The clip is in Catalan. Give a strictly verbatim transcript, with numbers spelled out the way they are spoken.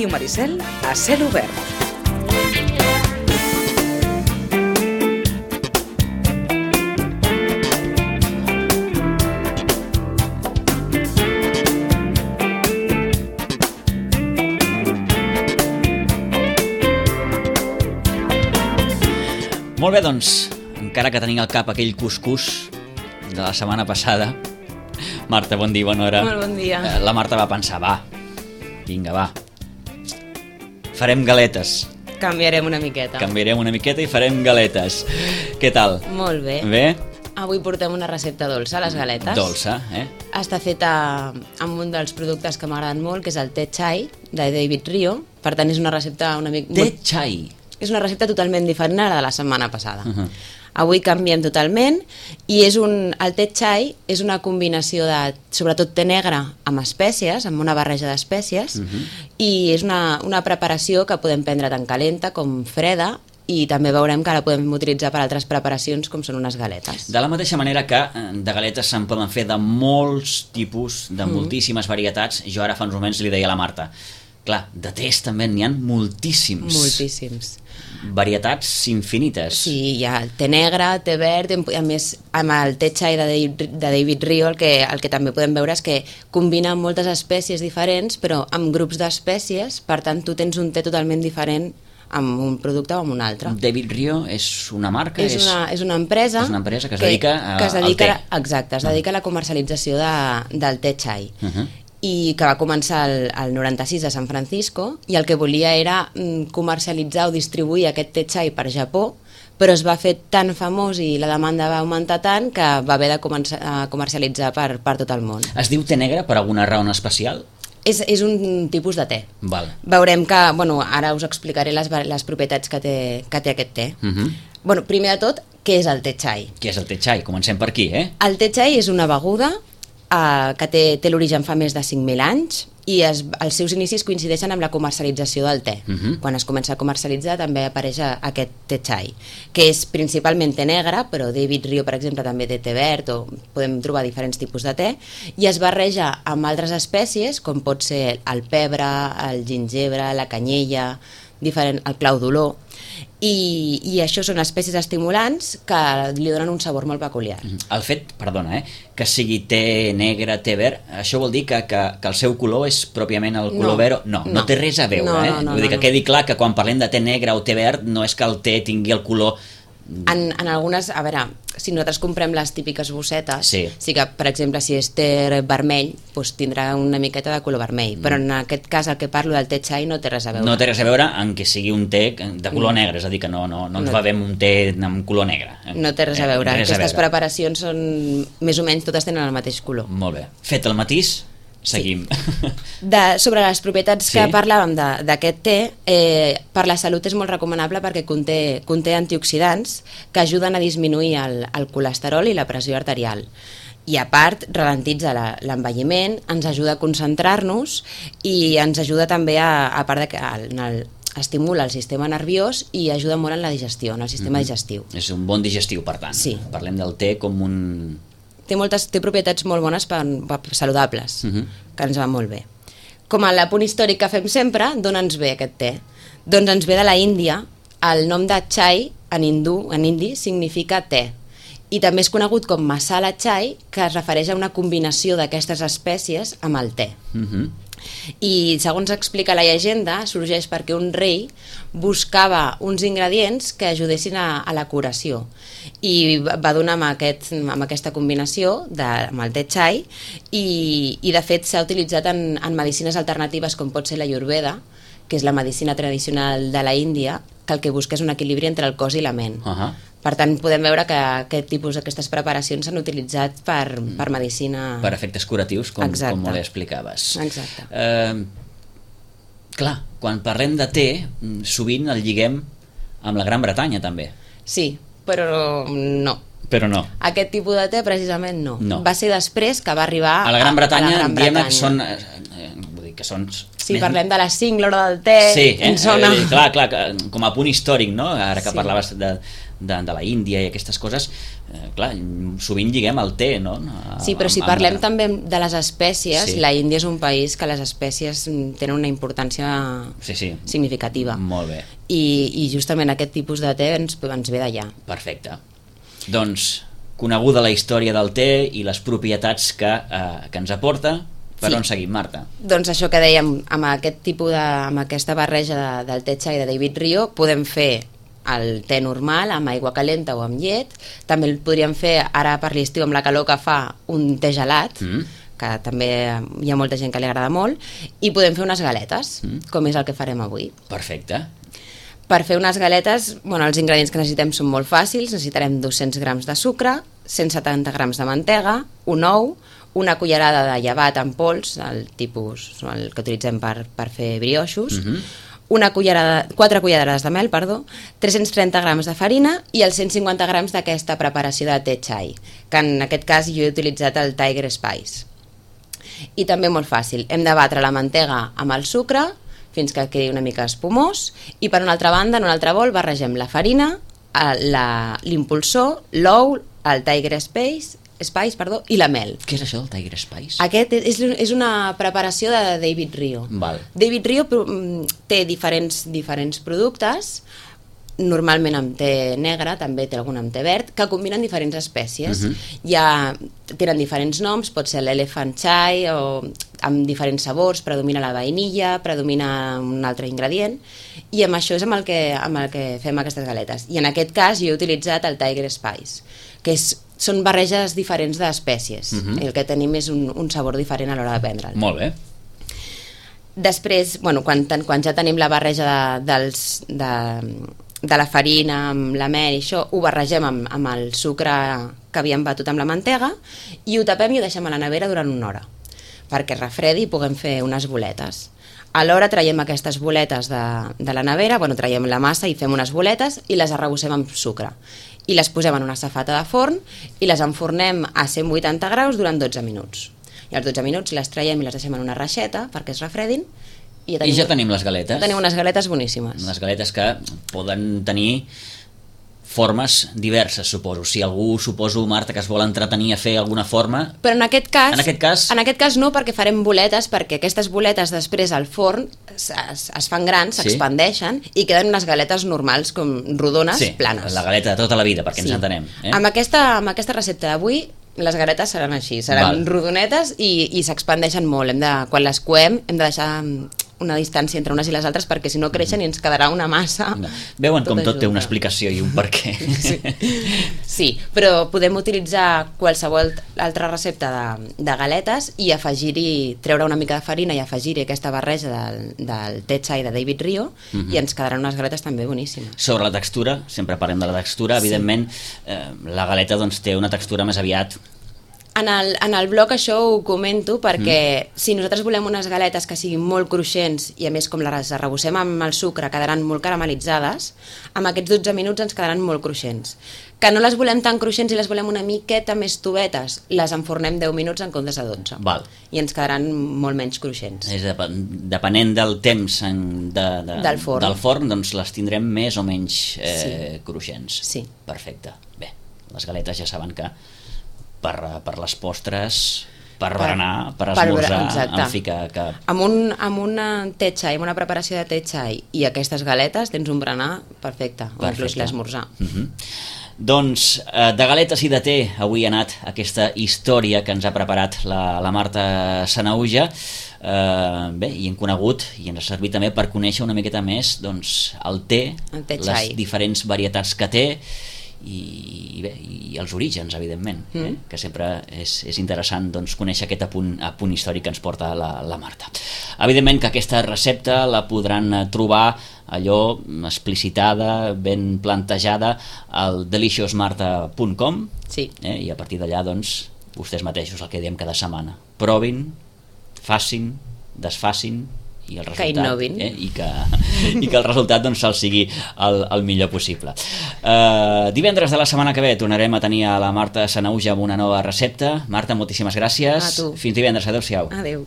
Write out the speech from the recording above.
Ràdio Maricel a cel obert. Molt bé, doncs, encara que tenim al cap aquell cuscús de la setmana passada, Marta, bon dia, bona hora. Molt bon dia. La Marta va pensar, va, vinga, va, farem galetes. Canviarem una miqueta. Canviarem una miqueta i farem galetes. Què tal? Molt bé. Bé? Avui portem una recepta dolça, les galetes. Dolça, eh? Està feta amb un dels productes que m'agraden molt, que és el te chai, de David Rio. Per tant, és una recepta una mica... Te chai. És una recepta totalment diferent a la de la setmana passada. Uh-huh. Avui canviem totalment i és un, el te chai és una combinació de, sobretot, te negre amb espècies, amb una barreja d'espècies, uh-huh. i és una, una preparació que podem prendre tant calenta com freda, i també veurem que la podem utilitzar per altres preparacions com són unes galetes. De la mateixa manera que de galetes se'n poden fer de molts tipus, de mm. moltíssimes varietats. Jo ara fa uns moments li deia a la Marta, clar, de tés també n'hi ha moltíssims. Moltíssims. Varietats infinites. Sí, hi ha te negre, te verd, a més amb el te chai de David, de David Rio el que, el que també podem veure és que combina moltes espècies diferents però amb grups d'espècies, per tant tu tens un te totalment diferent amb un producte o amb un altre. David Rio és una marca? És una, és una empresa, és una empresa que es dedica, a, que es dedica al te. Exacte, es dedica a la comercialització de, del te chai. Uh-huh. I que va començar el, el noranta-sis a San Francisco i el que volia era comercialitzar o distribuir aquest te chai per Japó, però es va fer tan famós i la demanda va augmentar tant que va haver de començar a comercialitzar per, per tot el món. Es diu te negre per alguna raó especial? És, és un tipus de te. Val. Veurem que, bueno, ara us explicaré les, les propietats que té, que té aquest te. Uh-huh. Bueno, primer de tot, què és el te chai? Què és el te chai? Comencem per aquí, eh? El te chai és una beguda Uh, que té, té l'origen fa més de cinc mil anys i es, els seus inicis coincideixen amb la comercialització del te. Uh-huh. Quan es comença a comercialitzar també apareix aquest te chai, que és principalment te negre, però David Rio, per exemple, també té te verd, o podem trobar diferents tipus de te, i es barreja amb altres espècies, com pot ser el pebre, el gingebre, la canyella, diferent, el clau d'olor, i, i això són espècies estimulants que li donen un sabor molt peculiar. El fet, perdona, eh, que sigui te negre, te verd, això vol dir que, que, que el seu color és pròpiament el color no, verd? No, no, no té res a veure, no, eh? No, no, vull dir no, que quedi clar que quan parlem de te negre o te verd no és que el te tingui el color... En, en algunes, a veure, si nosaltres comprem les típiques bossetes, sí, sí que, per exemple, si és te vermell, doncs tindrà una miqueta de color vermell, però en aquest cas el que parlo del te chai no té res a veure. No té res a veure en que sigui un te de color no. negre, és a dir, que no, no, no ens no. va bé un te amb color negre. Eh? No té res a veure, eh, res aquestes a veure. preparacions són, més o menys, totes tenen el mateix color. Molt bé. Fet el matís, seguim. Sí. De, sobre les propietats sí. que parlàvem d'aquest te, eh, per la salut és molt recomanable perquè conté, conté antioxidants que ajuden a disminuir el, el colesterol i la pressió arterial. I a part, ralentitza l'envelliment, ens ajuda a concentrar-nos i ens ajuda també a, a part de que el, el, estimula el sistema nerviós i ajuda molt en la digestió, en el sistema mm-hmm. digestiu. És un bon digestiu, per tant. Sí. Parlem del te com un... Té, moltes, té propietats molt bones per, per saludables, uh-huh. que ens va molt bé. Com a l'apunt històric que fem sempre, d'on ens ve aquest te? Doncs ens ve de la Índia. El nom de chai en hindú, en hindi, significa te. I també és conegut com masala chai, que es refereix a una combinació d'aquestes espècies amb el te. Uh-huh. I segons explica la llegenda, sorgeix perquè un rei buscava uns ingredients que ajudessin a, a la curació i va donar amb, aquest, amb aquesta combinació de, amb el te chai i, i de fet s'ha utilitzat en, en medicines alternatives com pot ser la Ayurveda, que és la medicina tradicional de la Índia, que el que busca és un equilibri entre el cos i la ment. Uh-huh. Per tant, podem veure que aquest tipus d'aquestes preparacions s'han utilitzat per, per medicina... Per efectes curatius, com, com molt explicaves. Exacte. Eh, clar, quan parlem de te, sovint el lliguem amb la Gran Bretanya, també. Sí, però no. Però no. Aquest tipus de te, precisament, no. no. Va ser després que va arribar a la Gran Bretanya, a, a la Gran diem Bretanya. que són... Eh, vull dir que són... Si parlem de la cinc, l'hora del te, sí, eh? ens sona... Eh, clar, clar, com a punt històric, no? Ara que sí. parlaves de, de, de la Índia i aquestes coses, eh, clar, sovint lliguem el té, no? A, sí, però si amb, parlem amb... també de les espècies, sí. la Índia és un país que les espècies tenen una importància sí, sí. significativa. Molt bé. I, i justament aquest tipus de té ens, ens ve d'allà. Perfecte. Doncs, coneguda la història del té i les propietats que, eh, que ens aporta, per sí. on seguim, Marta? Doncs això que dèiem, amb aquest tipus de, amb aquesta barreja de, del té chai de David Rio, podem fer el té normal amb aigua calenta o amb llet. També el podríem fer ara per l'estiu amb la calor que fa un té gelat, mm. que també hi ha molta gent que li agrada molt, i podem fer unes galetes, mm. com és el que farem avui. Perfecte. Per fer unes galetes, bueno, els ingredients que necessitem són molt fàcils. Necessitarem dos-cents grams de sucre, cent setanta grams de mantega, un ou, una cullerada de llevat en pols, el tipus el que utilitzem per, per fer brioixos, mm-hmm. una cullerada, quatre cullerades de mel, perdó, tres-cents trenta grams de farina i els cent cinquanta grams d'aquesta preparació de té chai, que en aquest cas jo he utilitzat el Tiger Spice. I també molt fàcil, hem de batre la mantega amb el sucre fins que quedi una mica espumós i per una altra banda, en un altre bol, barregem la farina, l'impulsor, l'ou, el Tiger Spice, Spice, perdó, i la mel. Què és això del Tiger Spice? Aquest és, és una preparació de David Rio. Val. David Rio té diferents, diferents productes, normalment amb té negre, també té algun amb té verd, que combinen diferents espècies. Uh-huh. Ja tenen diferents noms, pot ser l'Elephant Chai, o amb diferents sabors, predomina la vainilla, predomina un altre ingredient, i amb això és amb el que, amb el que fem aquestes galetes. I en aquest cas jo he utilitzat el Tiger Spice, que és, són barreges diferents d'espècies. Uh-huh. El que tenim és un, un sabor diferent a l'hora de prendre'l. Molt bé. Després, bueno, quan, quan ja tenim la barreja de, dels, de, de la farina amb la mel i això, ho barregem amb, amb el sucre que havíem batut amb la mantega i ho tapem i ho deixem a la nevera durant una hora perquè refredi i puguem fer unes boletes. Alhora traiem aquestes boletes de, de la nevera, bueno, traiem la massa i fem unes boletes i les arrebossem amb sucre i les posem en una safata de forn i les enfornem a cent vuitanta graus durant dotze minuts. I als dotze minuts les traiem i les deixem en una reixeta perquè es refredin. I, ja tenim, I ja tenim les galetes. Tenim unes galetes boníssimes. Unes galetes que poden tenir formes diverses, suposo. Si algú, suposo, Marta, que es vol entretenir a fer alguna forma... Però en aquest cas, en aquest cas... En aquest cas no, perquè farem boletes, perquè aquestes boletes després al forn es, es, es fan grans, s'expandeixen, sí? I queden unes galetes normals, com rodones, sí, planes. La galeta de tota la vida, perquè sí. Ens entenem. Eh? Amb, aquesta, amb aquesta recepta d'avui, les galetes seran així, seran Val. rodonetes i, i s'expandeixen molt. Hem de, quan les coem hem de deixar una distància entre unes i les altres perquè si no creixen i ens quedarà una massa. No. Veuen com tot té una explicació i un per què. Sí, sí, però podem utilitzar qualsevol altra recepta de, de galetes i afegir-hi, treure una mica de farina i afegir-hi aquesta barreja del, del té chai de David Rio uh-huh. i ens quedaran unes galetes també boníssimes. Sobre la textura, sempre parlem de la textura, sí. Evidentment eh, la galeta doncs, té una textura més aviat... En el, en el blog això ho comento perquè mm. si nosaltres volem unes galetes que siguin molt cruixents i a més com les arrebossem amb el sucre quedaran molt caramelitzades, amb aquests dotze minuts ens quedaran molt cruixents. Que no les volem tan cruixents i les volem una miqueta més tovetes, les enfornem deu minuts en comptes de dotze. Val. I ens quedaran molt menys cruixents. És dep depenent del temps en, de, de, del forn, del forn doncs les tindrem més o menys eh, sí. cruixents. Sí. Perfecte. Bé, les galetes ja saben que Per, per les postres, per, per berenar, per esmorzar, per, en fi que... que... Amb, un, amb una té chai, amb una preparació de té chai i aquestes galetes tens un berenar perfecte, o inclús l'esmorzar. Uh -huh. Doncs eh, de galetes i de té avui ha anat aquesta història que ens ha preparat la, la Marta Sanahuja. Eh, bé, i hem conegut i ens ha servit també per conèixer una miqueta més doncs, el té, el té les chai. diferents varietats que té i, bé, i els orígens, evidentment, mm. eh? que sempre és, és interessant doncs, conèixer aquest apunt, apunt històric que ens porta la, la Marta. Evidentment que aquesta recepta la podran trobar allò explicitada, ben plantejada al delicious marta punt com sí. eh? I a partir d'allà doncs, vostès mateixos el que diem cada setmana, provin, facin, desfacin i el resultat, que eh? I, que, i que el resultat doncs, el sigui el, el millor possible. Uh, divendres de la setmana que ve tornarem a tenir a la Marta Sanahuja amb una nova recepta. Marta, moltíssimes gràcies. A tu. Fins divendres, adeu-siau. Adeu.